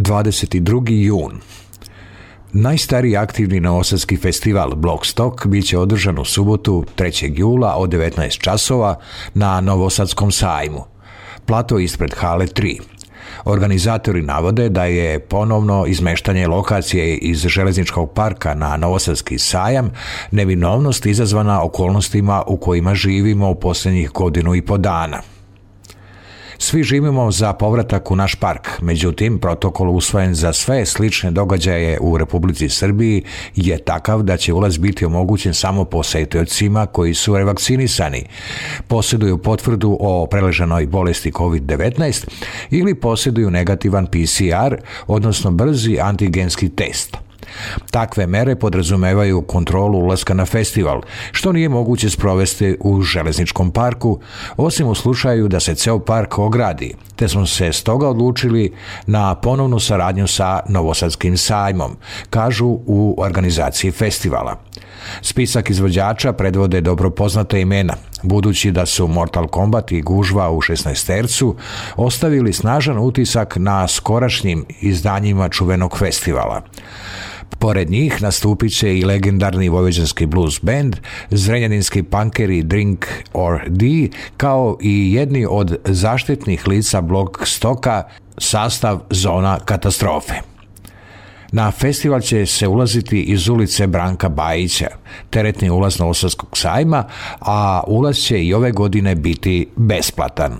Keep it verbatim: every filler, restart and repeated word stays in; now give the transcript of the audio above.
dvadeset drugi jun. Najstariji aktivni novosadski festival Blockstock bit će održan u subotu trećeg jula od devetnaest časova na Novosadskom sajmu. Plato ispred hale tri. Organizatori navode da je ponovno izmeštanje lokacije iz železničkog parka na Novosadski sajam neminovnost izazvana okolnostima u kojima živimo u posljednjih godinu i po dana. Svi živimo za povratak u naš park, međutim, protokol usvojen za sve slične događaje u Republici Srbiji je takav da će ulaz biti omogućen samo posetiocima koji su revakcinisani, posjeduju potvrdu o preleženoj bolesti kovid devetnaest ili posjeduju negativan P C R, odnosno brzi antigenski test. Takve mere podrazumevaju kontrolu ulaska na festival, što nije moguće sprovesti u železničkom parku, osim u slučaju da se ceo park ogradi, te smo se stoga odlučili na ponovnu saradnju sa Novosadskim sajmom, kažu u organizaciji festivala. Spisak izvođača predvode dobro poznata imena, budući da su Mortal Kombat i Gužva u šesnaestercu ostavili snažan utisak na skorašnjim izdanjima čuvenog festivala. Pored njih nastupit će i legendarni vojvođanski blues band, zrenjaninski punkeri Drink or D, kao i jedni od zaštitnih lica Blockstocka, sastav Zona katastrofe. Na festival će se ulaziti iz ulice Branka Bajića, teretni ulaz Novosadskog sajma, a ulaz će i ove godine biti besplatan.